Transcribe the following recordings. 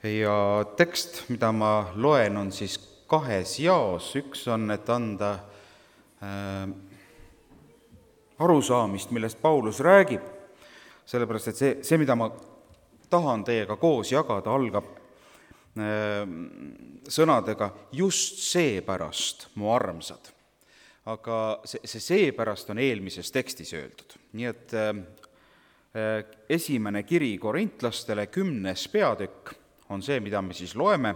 Ja tekst, mida ma loen, on siis kahes jaos. Üks on, et anda arusaamist, millest Paulus räägib, sellepärast et see, mida ma tahan teiega koos jagada, algab sõnadega just seepärast, mu armsad. Aga see seepärast on eelmises tekstis öeldud. Nii et esimene kiri korintlastele 10. peatükk on see, mida me siis loeme.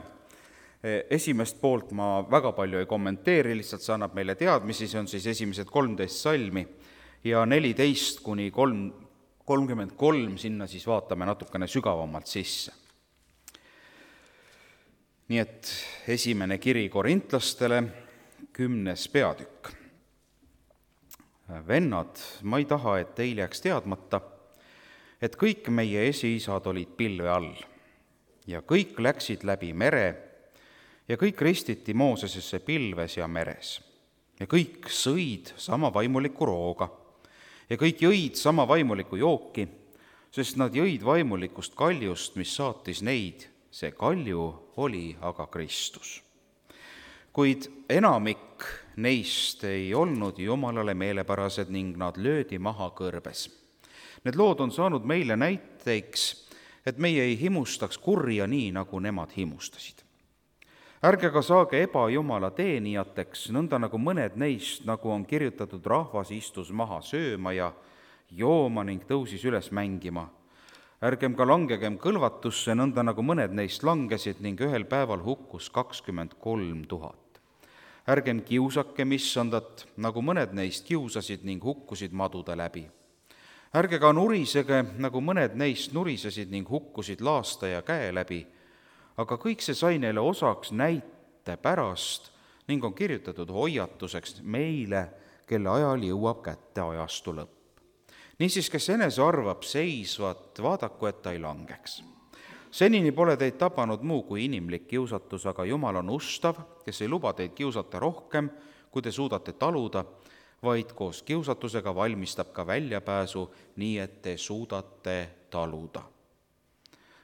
Esimest poolt ma väga palju ei kommenteeri, lihtsalt see annab meile teadmisi, see on siis esimesed 13 salmi ja 14 kuni 33, sinna siis vaatame natukene sügavamalt sisse. Nii et esimene kiri korintlastele, 10. peatükk. Vennad, ma ei taha, et teil jääks teadmata, et kõik meie esiisad olid pilve all ja kõik läksid läbi mere ja kõik ristiti Moosesesse pilves ja meres ja kõik sõid sama vaimuliku rooga ja kõik jõid sama vaimuliku jooki, sest nad jõid vaimulikust kaljust, mis saatis neid. See kalju oli aga Kristus. Kuid enamik neist ei olnud Jumalale meelepärased ning nad löödi maha kõrbes. Need lood on saanud meile näiteks, et meie ei himustaks kurja nii, nagu nemad himustasid. Ärge ka saage ebajumala teenijateks, nõnda nagu mõned neist, nagu on kirjutatud, rahvas istus maha sööma ja jooma ning tõusis üles mängima. Ärgem ka langegem kõlvatusse, nõnda nagu mõned neist langesid ning ühel päeval hukkus 23 000. Ärgem kiusakem issandat, nagu mõned neist kiusasid ning hukkusid madude läbi. Ärge ka nurisege, nagu mõned neist nurisesid ning hukkusid laastaja käe läbi, aga kõik see sai neile osaks näite pärast ning on kirjutatud hoiatuseks meile, kelle ajal jõuab kätte ajastu lõpp. Niisiis, kes enese arvab seisvat, vaadaku, et ta ei langeks. Senini pole teid tabanud muu kui inimlik kiusatus, aga Jumal on ustav, kes ei luba teid kiusata rohkem, kui te suudate taluda, vaid koos kiusatusega valmistab ka väljapääsu, nii et te suudate taluda.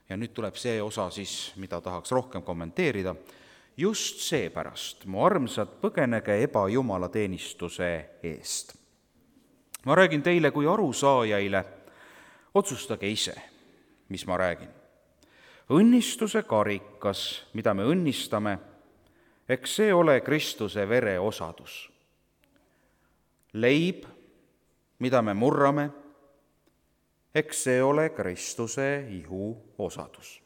Ja nüüd tuleb see osa siis, mida tahaks rohkem kommenteerida. Just seepärast, mu armsad, põgenege ebajumala teenistuse eest. Ma räägin teile kui arusaajaile, otsustage ise, mis ma räägin. Õnnistuse karikas, mida me õnnistame, eks see ole Kristuse vere osadus. Leib, mida me murrame, eks see ole Kristuse ihu osadus.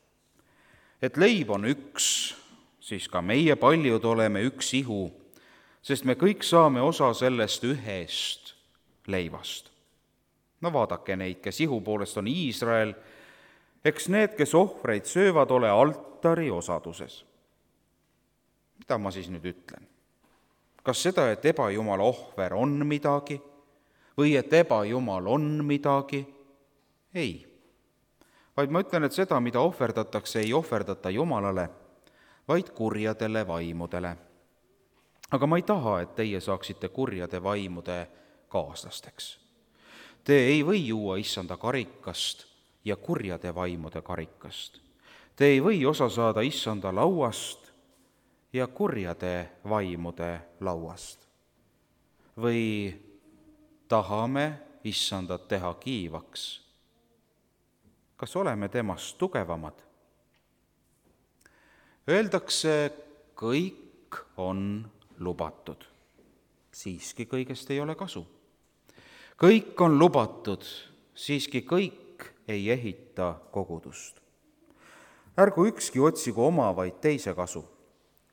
Et leib on üks, siis ka meie paljud oleme üks ihu, sest me kõik saame osa sellest ühest leivast. No vaadake neid, kes ihu poolest on Iisrael, eks need, kes ohvreid söövad, ole altari osaduses. Mida ma siis nüüd ütlen? Kas seda, et ebajumala ohver on midagi või et ebajumal on midagi? Ei. Vaid ma ütlen, et seda, mida ohverdatakse, ei ohverdata Jumalale, vaid kurjadele vaimudele. Aga ma ei taha, et teie saaksite kurjade vaimude kaaslasteks. Te ei või juua issanda karikast ja kurjade vaimude karikast. Te ei või osa saada issanda lauast ja kurjade vaimude lauast. Või tahame issandat teha kiivaks? Kas oleme temast tugevamad? Öeldakse, kõik on lubatud. Siiski kõigest ei ole kasu. Kõik on lubatud, siiski kõik ei ehita kogudust. Ärgu ükski otsigu oma, vaid teise kasu.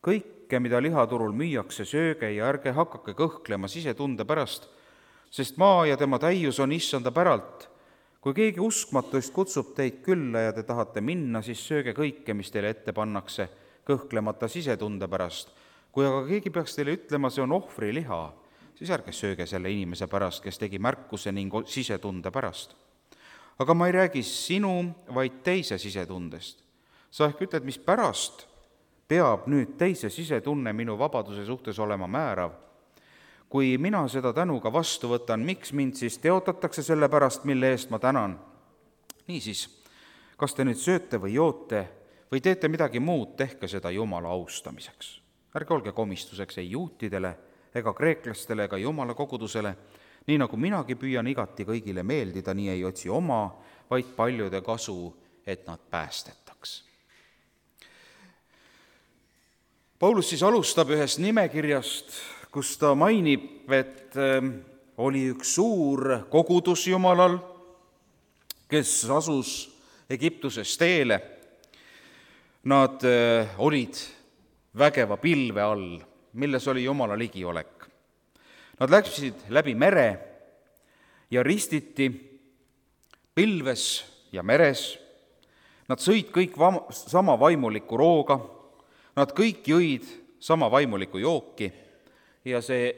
Kõike, mida lihaturul müüakse, sööge ja ärge hakake kõhklema sisetunde pärast, sest maa ja tema täius on issanda päralt. Kui keegi uskmatust kutsub teid külla ja te tahate minna, siis sööge kõike, mis teile ette pannakse, kõhklemata sisetunde pärast. Kui aga keegi peaks teile ütlema, see on ohvriliha, siis ärge sööge selle inimese pärast, kes tegi märkuse ning sisetunde pärast. Aga ma ei räägi sinu, vaid teise sisetundest. Sa ehk ütled, mis pärast peab nüüd teise sisetunne minu vabaduse suhtes olema määrav. Kui mina seda tänuga vastu võtan, miks mind siis teotatakse selle pärast, mille eest ma tänan? Niisiis, kas te nüüd sööte või joote või teete midagi muud, tehke seda Jumala austamiseks. Ärge olge komistuseks ei juutidele ega kreeklastele ega Jumala kogudusele, nii nagu minagi püüan igati kõigile meeldida, nii ei otsi oma, vaid paljude kasu, et nad päästetaks. Paulus siis alustab ühest nimekirjast, kus ta mainib, et oli üks suur kogudus Jumalal, kes asus Egiptuses teele. Nad olid vägeva pilve all, milles oli Jumala ligiolek. Nad läksid läbi mere ja ristiti pilves ja meres. Nad sõid kõik sama vaimulikku rooga, nad kõik jõid sama vaimulikku jooki ja see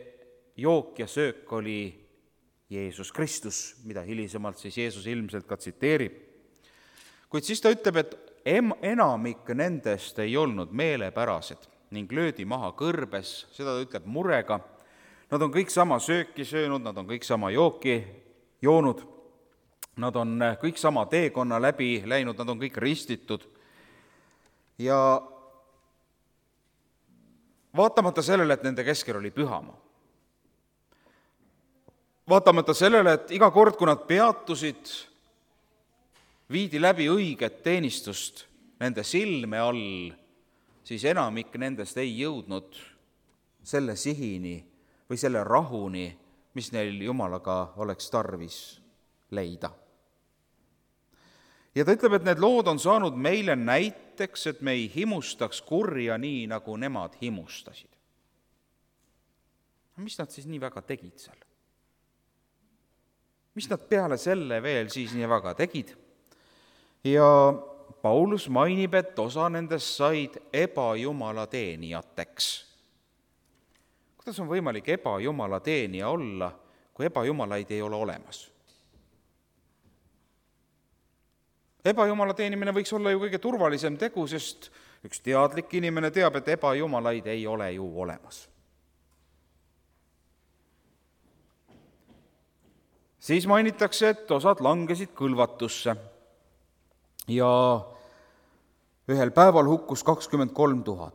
jook ja söök oli Jeesus Kristus, mida hilisemalt siis Jeesus ilmselt ka tsiteerib. Kuid siis ta ütleb, et enamik nendest ei olnud meelepärased ning löödi maha kõrbes, seda ta ütleb murega. Nad on kõik sama sööki söönud, nad on kõik sama jooki joonud, nad on kõik sama teekonna läbi läinud, nad on kõik ristitud. Ja vaatamata sellele, et nende keskel oli pühamaa, vaatamata sellele, et iga kord, kui nad peatusid, viidi läbi õiget teenistust nende silme all, siis enamik nendest ei jõudnud selle sihini või selle rahuni, mis neil Jumalaga oleks tarvis leida. Ja ta ütleb, et need lood on saanud meile näiteks, et me ei himustaks kurja nii, nagu nemad himustasid. Mis nad siis nii väga tegid seal? Mis nad peale selle veel siis nii väga tegid? Ja Paulus mainib, et osa nendest said ebajumala teenijateks. Kuidas on võimalik ebajumala teenija olla, kui ebajumalaid ei ole olemas? Ebajumala teenimine võiks olla ju kõige turvalisem tegu, sest üks teadlik inimene teab, et ebajumalaid ei ole ju olemas. Siis mainitakse, et osad langesid kõlvatusse ja ühel päeval hukkus 23 000.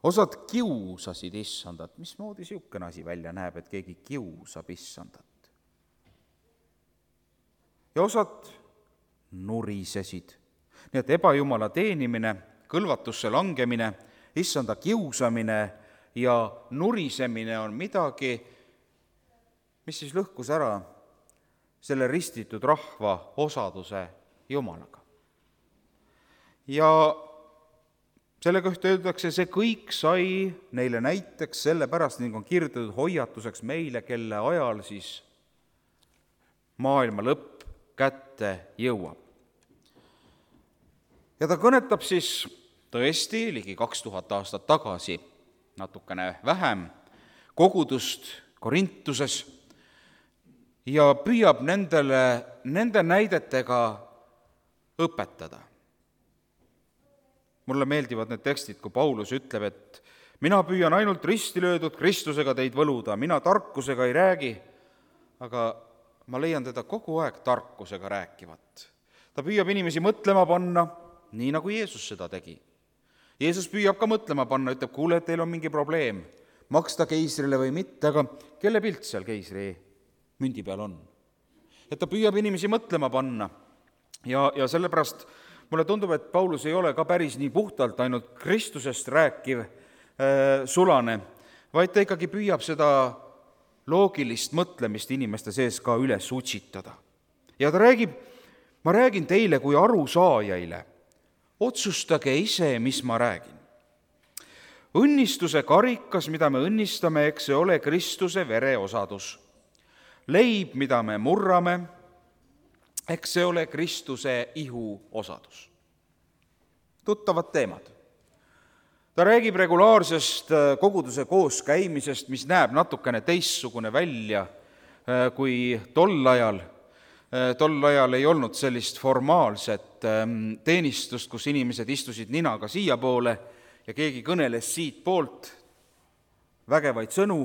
Osad kiusasid issandat. Mismoodi siukene asi välja näeb, et keegi kiusab issandat? Ja osad nurisesid. Nii et ebajumala teenimine, kõlvatusse langemine, issanda kiusamine ja nurisemine on midagi, mis siis lõhkus ära selle ristitud rahva osaduse Jumalaga. Ja selle kohta öeldakse, see kõik sai neile näiteks sellepärast, ning on kirjutatud hoiatuseks meile, kelle ajal siis maailma lõpp kätte jõuab. Ja ta kõnetab siis tõesti ligi 2000 aastat tagasi, natukene vähem, kogudust Korintuses ja püüab nende näidetega õpetada. Mulle meeldivad need tekstid, kui Paulus ütleb, et mina püüan ainult risti löödud Kristusega teid võluda, mina tarkusega ei räägi, aga ma leian teda kogu aeg tarkusega rääkivat. Ta püüab inimesi mõtlema panna, nii nagu Jeesus seda tegi. Jeesus püüab ka mõtlema panna, ütleb, kuule, et teil on mingi probleem, maksta keisrile või mitte, aga kelle pilt seal keisri mündi peal on? Et ta püüab inimesi mõtlema panna ja sellepärast mulle tundub, et Paulus ei ole ka päris nii puhtalt ainult Kristusest rääkiv sulane, vaid ta ikkagi püüab seda loogilist mõtlemist inimeste sees ka üles utsitada. Ja ta räägib, ma räägin teile kui arusaajaile, otsustage ise, mis ma räägin. Õnnistuse karikas, mida me õnnistame, eks see ole Kristuse vere osadus. Leib, mida me murrame, eks see ole Kristuse ihu osadus. Tuttavad teemad. Ta räägib regulaarsest koguduse kooskäimisest, mis näeb natukene teistsugune välja kui tol ajal. Tol ajal ei olnud sellist formaalset teenistust, kus inimesed istusid ninaga siiapoole ja keegi kõneles siit poolt vägevaid sõnu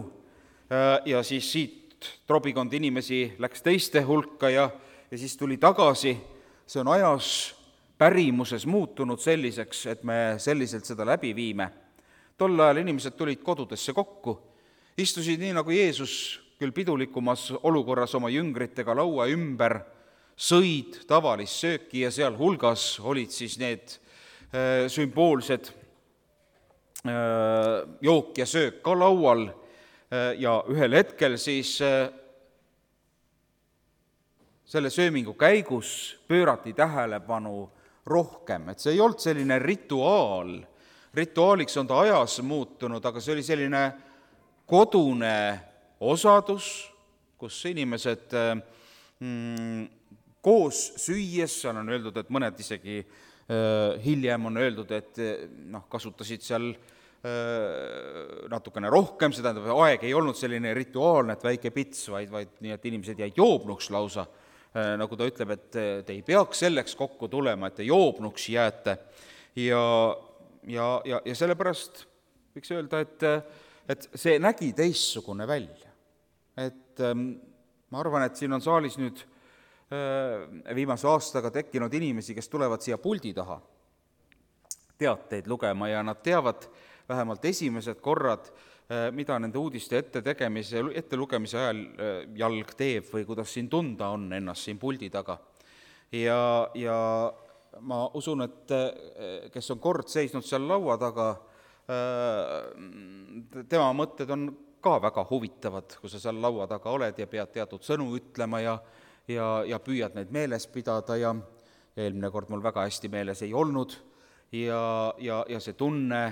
ja siis siit trobikond inimesi läks teiste hulka ja siis tuli tagasi. See on ajas pärimuses muutunud selliseks, et me selliselt seda läbi viime. Tol ajal inimesed tulid kodudesse kokku, istusid nii nagu Jeesus küll pidulikumas olukorras oma jüngritega laua ümber, sõid tavalist sööki ja seal hulgas olid siis need sümboolsed jook ja söök ka laual ja ühel hetkel siis selle söömingu käigus pöörati tähelepanu rohkem, et see ei olnud selline rituaal. Rituaaliks on ta ajas muutunud, aga see oli selline kodune osadus, kus inimesed koos süües, seal on öeldud, et mõned isegi hiljem on öeldud, et kasutasid seal natukene rohkem, see tähendab, aeg ei olnud selline rituaalne, et väike pits, vaid nii, et inimesed jäid joobnuks lausa, nagu ta ütleb, et te ei peaks selleks kokku tulema, et te joobnuks jääte. Ja sellepärast võiks öelda, et see nägi teistsugune välja. Et ma arvan, et siin on saalis nüüd viimase aastaga tekkinud inimesi, kes tulevad siia puldi taha teateid lugema ja nad teavad vähemalt esimesed korrad, mida nende uudiste ette lugemise ajal jalg teeb või kuidas siin tunda on ennast siin puldi taga. Ja ma usun, et kes on kord seisnud seal laua taga, tema mõtted on ka väga huvitavad, kui sa seal laua taga oled ja pead teatud sõnu ütlema ja püüad neid meeles pidada ja eelmine kord mul väga hästi meeles ei olnud ja see tunne,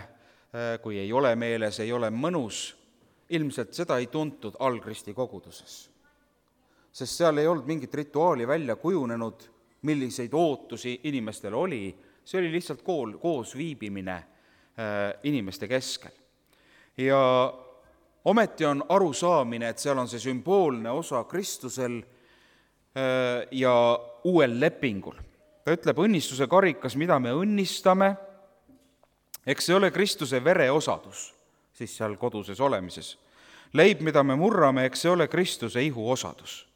kui ei ole meeles, ei ole mõnus, ilmselt seda ei tuntud Algristi koguduses. Sest seal ei olnud mingit rituaali välja kujunenud, milliseid ootusi inimestel oli, see oli lihtsalt koos viibimine inimeste keskel. Ja ometi on arusaamine, et seal on see sümboolne osa Kristusel ja uuel lepingul. Ta ütleb, õnnistuse karikas, mida me õnnistame, eks see ole Kristuse vere osadus, siis seal koduses olemises. Leib, mida me murrame, eks see ole Kristuse ihu osadus.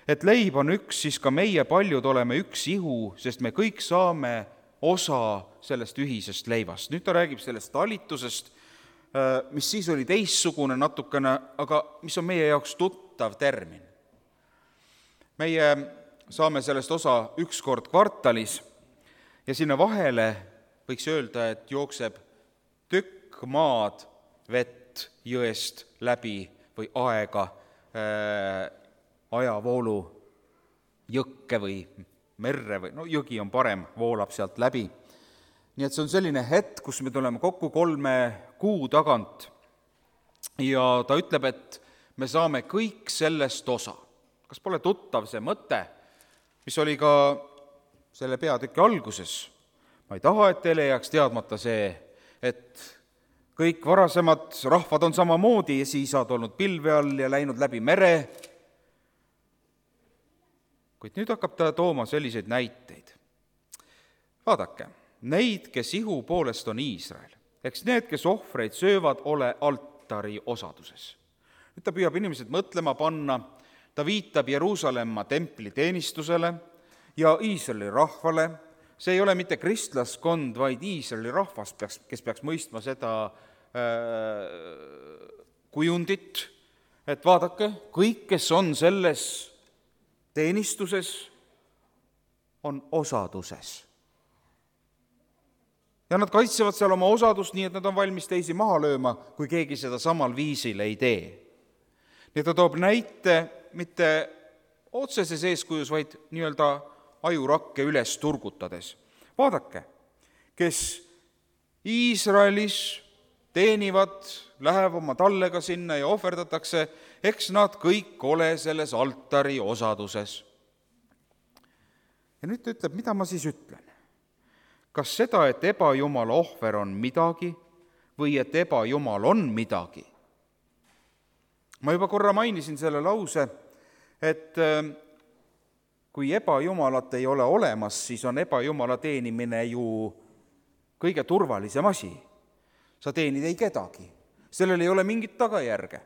Et leib on üks, siis ka meie paljud oleme üks ihu, sest me kõik saame osa sellest ühisest leivast. Nüüd ta räägib sellest talitusest, mis siis oli teistsugune natukene, aga mis on meie jaoks tuttav termin. Meie saame sellest osa üks kord kvartalis ja sinna vahele võiks öelda, et jookseb tükk maad vett jõest läbi või aega, ajavoolu jõkke või merre või jõgi on parem, voolab sealt läbi. Nii et see on selline hetk, kus me tuleme kokku 3 kuu tagant ja ta ütleb, et me saame kõik sellest osa. Kas pole tuttav see mõte, mis oli ka selle peatüki alguses? Ma ei taha, et teile jääks teadmata see, et kõik varasemad rahvad on samamoodi ja siis saad olnud pilve all ja läinud läbi mere. Kuid nüüd hakkab ta tooma selliseid näiteid. Vaadake, neid, kes ihu poolest on Iisrael, eks need, kes ohvreid söövad, ole altari osaduses. Nüüd ta püüab inimesed mõtlema panna, ta viitab Jeruusalemma templi teenistusele ja Iisraeli rahvale. See ei ole mitte kristlaskond, vaid Iisraeli rahvas, kes peaks mõistma seda kujundit, et vaadake, kõik, kes on selles teenistuses, on osaduses. Ja nad kaitsevad seal oma osadust nii, et nad on valmis teisi maha lööma, kui keegi seda samal viisil ei tee. Nii ta toob näite mitte otseses eeskujus, vaid nii-öelda ajurakke üles turgutades. Vaadake, kes Iisraelis teenivad, läheb oma tallega sinna ja ohverdatakse, eks nad kõik ole selles altari osaduses. Ja nüüd ta ütleb, mida ma siis ütlen? Kas seda, et ebajumala ohver on midagi või et ebajumal on midagi? Ma juba korra mainisin selle lause, et kui ebajumalat ei ole olemas, siis on ebajumala teenimine ju kõige turvalisem asi. Sa teenid ei kedagi. Sellel ei ole mingit tagajärge.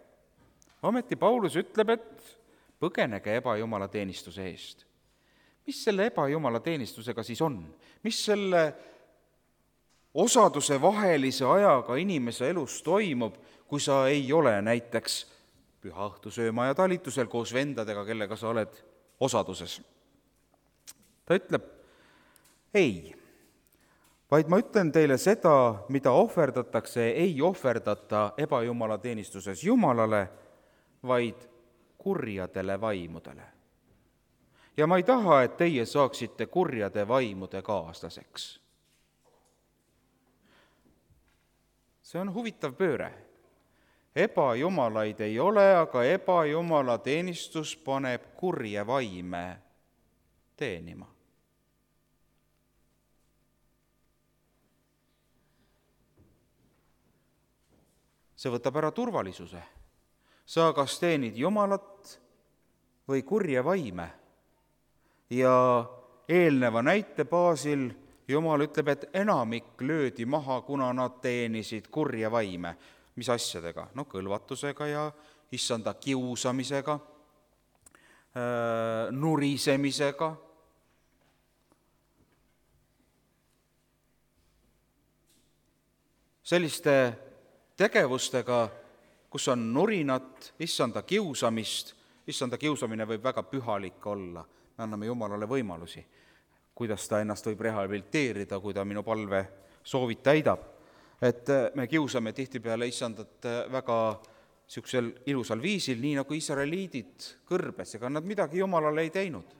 Ometi Paulus ütleb, et põgenege ebajumala teenistuse eest. mis selle ebajumala teenistusega siis on? Mis selle osaduse vahelise ajaga inimese elus toimub, kui sa ei ole näiteks püha õhtu sööma ja talitusel koos vendadega, kellega sa oled osaduses? Ta ütleb, ei, vaid ma ütlen teile seda, mida ohverdatakse, ei ohverdata ebajumala teenistuses Jumalale, vaid kurjadele vaimudele. Ja ma ei taha, et teie saaksite kurjade vaimude kaaslaseks. See on huvitav pööre. Ebajumalaid ei ole, aga ebajumala teenistus paneb kurje vaime teenima. See võtab ära turvalisuse. Sa kas teenid Jumalat või kurje vaime. Ja eelneva näite baasil Jumal ütleb, et enamik löödi maha, kuna nad teenisid kurje vaime. Mis asjadega? Kõlvatusega ja issanda kiusamisega, nurisemisega. Selliste tegevustega, kus on nurinat, issanda kiusamist. Issanda kiusamine võib väga pühalik olla. Me anname Jumalale võimalusi, kuidas ta ennast võib rehabiliteerida, kui ta minu palve soovid täidab. Et me kiusame tihtipeale issandat väga niisugusel ilusal viisil, nii nagu iisraeliidid kõrbes, ega nad midagi Jumalale ei teinud.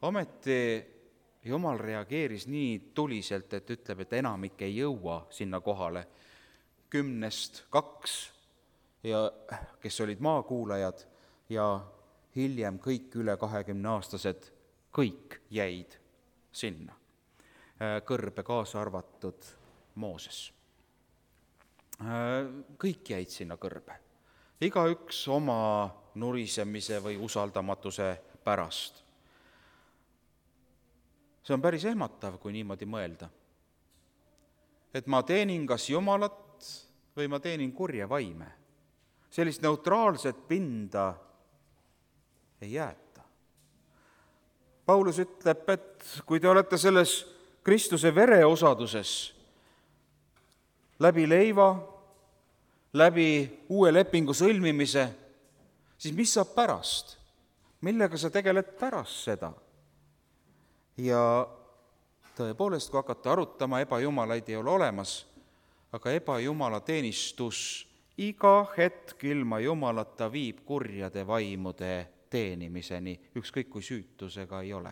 Ometi Jumal reageeris nii tuliselt, et ütleb, et enamik ei jõua sinna kohale. 10-2, ja kes olid maakuulajad, ja hiljem kõik üle 20-aastased, kõik jäid sinna, kõrbe kaasa arvatud Mooses. Kõik jäid sinna kõrbe, igaüks oma nurisemise või usaldamatuse pärast. See on päris ehmatav, kui niimoodi mõelda. Et ma teenin kas Jumalat või ma teenin kurje vaime. Sellist neutraalset pinda ei jäeta. Paulus ütleb, et kui te olete selles Kristuse vere osaduses, läbi leiva, läbi uue lepingu sõlmimise, siis mis saab pärast? Millega sa tegeled pärast seda? Ja tõepoolest, kui hakata arutama, ebajumalaid ei ole olemas, aga ebajumala teenistus iga hetk ilma Jumalata viib kurjade vaimude teenimiseni, ükskõik kui süütusega ei ole.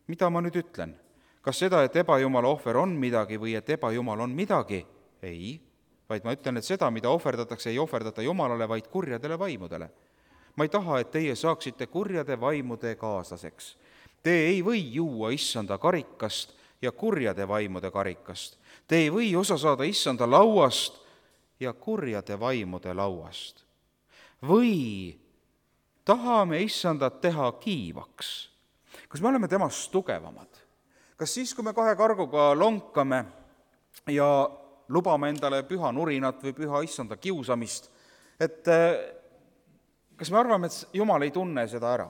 Mida ma nüüd ütlen? Kas seda, et ebajumala ohver on midagi või et ebajumal on midagi? Ei, vaid ma ütlen, et seda, mida ohverdatakse, ei ohverdata Jumalale, vaid kurjadele vaimudele. Ma ei taha, et teie saaksite kurjade vaimude kaaslaseks. Te ei või juua issanda karikast ja kurjade vaimude karikast. Te ei või osa saada issanda lauast ja kurjade vaimude lauast. Või tahame issandat teha kiivaks? Kas me oleme temast tugevamad? Kas siis, kui me kahe karguga lonkame ja lubame endale püha nurinat või püha issanda kiusamist, et kas me arvame, et Jumal ei tunne seda ära?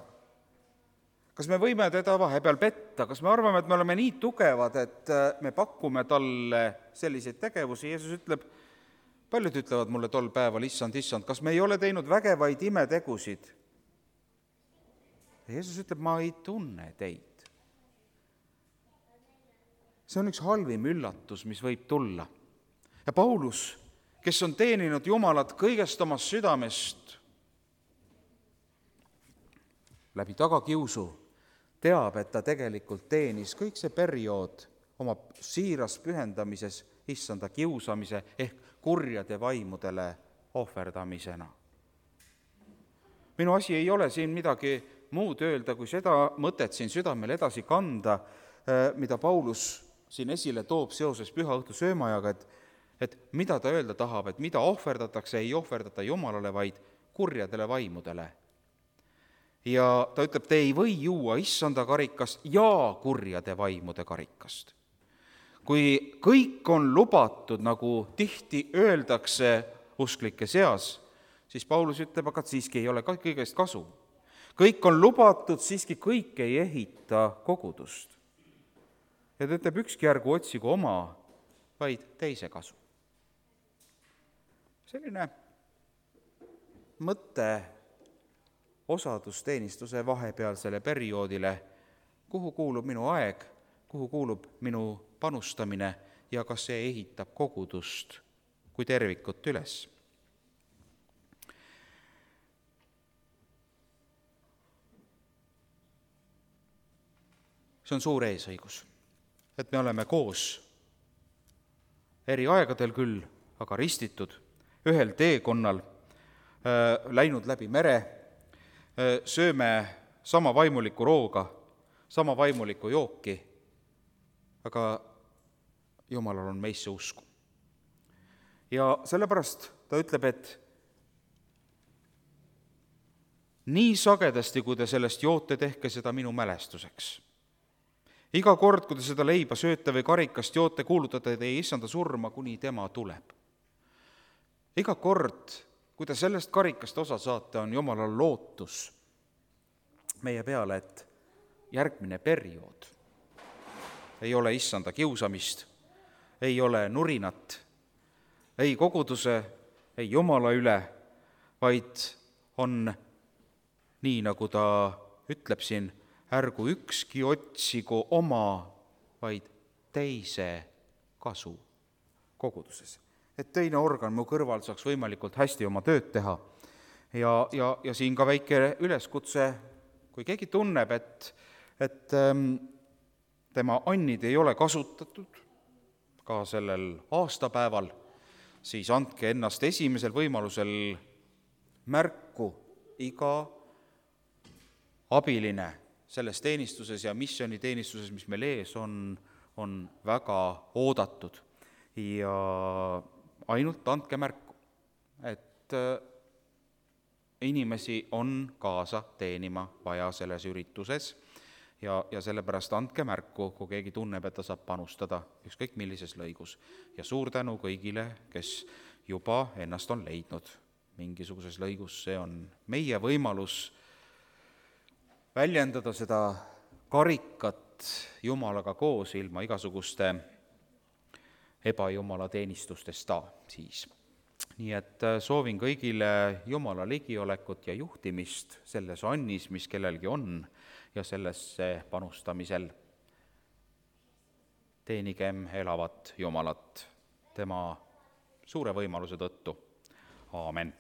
Kas me võime teda vahepeal petta? Kas me arvame, et me oleme nii tugevad, et me pakume talle selliseid tegevusi? Jeesus ütleb, paljud ütlevad mulle tol päeval, issand, kas me ei ole teinud vägevaid imetegusid? Jeesus ütleb, ma ei tunne teid. See on üks halvim üllatus, mis võib tulla. Ja Paulus, kes on teeninud Jumalat kõigest omast südamest, läbi tagakiusu, teab, et ta tegelikult teenis kõik see periood oma siiras pühendamises issanda kiusamise ehk kurjade vaimudele ohverdamisena. Minu asi ei ole siin midagi muud öelda, kui seda mõtet siin südamel edasi kanda, mida Paulus siin esile toob seoses püha õhtu söömajaga, et mida ta öelda tahab, et mida ohverdatakse, ei ohverdata Jumalale, vaid kurjadele vaimudele. Ja ta ütleb, te ei või juua issanda karikast ja kurjade vaimude karikast. Kui kõik on lubatud, nagu tihti öeldakse usklike seas, siis Paulus ütleb, aga siiski ei ole kõigest kasu. kõik on lubatud, siiski kõik ei ehita kogudust. Ja ta ütleb, ükski ärgu otsigu oma, vaid teise kasu. Selline mõte osadusteenistuse vahepealsele perioodile, kuhu kuulub minu aeg, kuhu kuulub minu panustamine ja kas see ehitab kogudust kui tervikut üles. See on suur eesõigus, et me oleme koos eri aegadel küll, aga ristitud ühel teekonnal, läinud läbi mere, sööme sama vaimulikku rooga, sama vaimulikku jooki, aga Jumalal on meisse usku. Ja sellepärast ta ütleb, et nii sagedasti, kui te sellest joote, tehke seda minu mälestuseks. Iga kord, kui te seda leiba sööte või karikast joote, kuulutate teie issanda surma, kuni tema tuleb. Iga kord, kui te sellest karikast osa saate, on Jumalal lootus meie peale, et järgmine periood ei ole issanda kiusamist, ei ole nurinat, ei koguduse, ei Jumala üle, vaid on nii, nagu ta ütleb siin, ärgu ükski otsigu oma, vaid teise kasu koguduses. Et teine organ mu kõrval saaks võimalikult hästi oma tööd teha. Ja siin ka väike üleskutse, kui keegi tunneb, et tema annid ei ole kasutatud ka sellel aastapäeval, siis andke ennast esimesel võimalusel märku. Iga abiline selles teenistuses ja missioniteenistuses, mis meil ees on väga oodatud. Ja ainult andke märku, et inimesi on kaasa teenima vaja selles ürituses ja sellepärast andke märku, kui keegi tunneb, et ta saab panustada ükskõik millises lõigus. Ja suur tänu kõigile, kes juba ennast on leidnud mingisuguses lõigus. See on meie võimalus väljendada seda karikat Jumalaga koos ilma igasuguste ebajumala teenistustesta siis. Nii et soovin kõigile Jumala ligiolekut ja juhtimist selles annis, mis kellelgi on, ja sellesse panustamisel. Teenigem elavat Jumalat tema suure võimaluse tõttu. Aamen.